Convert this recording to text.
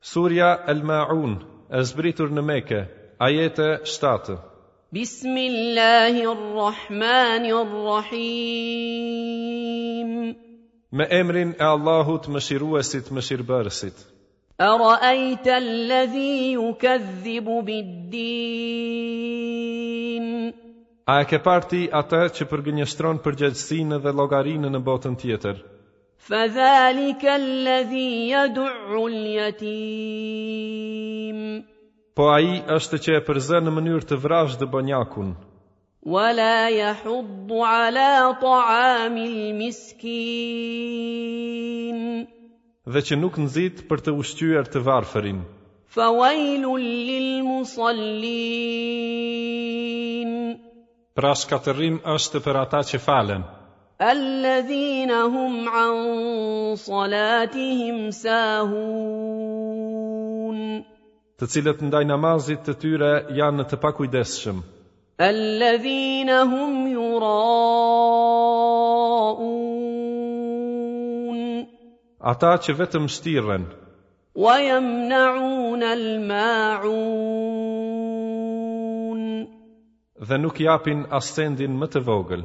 Surja El Maun, e zbritur në Mekë, ajete 7. Bismillahirrahmanirrahim. Me emrin e Allahut, Mëshiruesit, Mëshirëbërësit. Ara'ayta alladhi yukadhibu bid-din. A e ke parë ti atë që përgënjeshtron përgjegjësinë dhe llogarinë në botën tjetër? Fadhalika alladhi yad'u al-yatim. Po ai është që e përzë në mënyrë të vrazhdë bonjakun. Wala yahuddu ala ta'ami al-miskin. Dhe që nuk nxit për të ushqyer të varfërin. Fawailun lil musallin. Pra shkatërrim është për ata që falen. Alladhina hum an salatihim sahun. Të cilët ndaj namazit të tyre janë të pakujdesshëm. Alladhina hum yura'un. Ata që vetëm shtirren. Wa yamna'un al-ma'un. Dhe nuk japin as sendin më të vogël.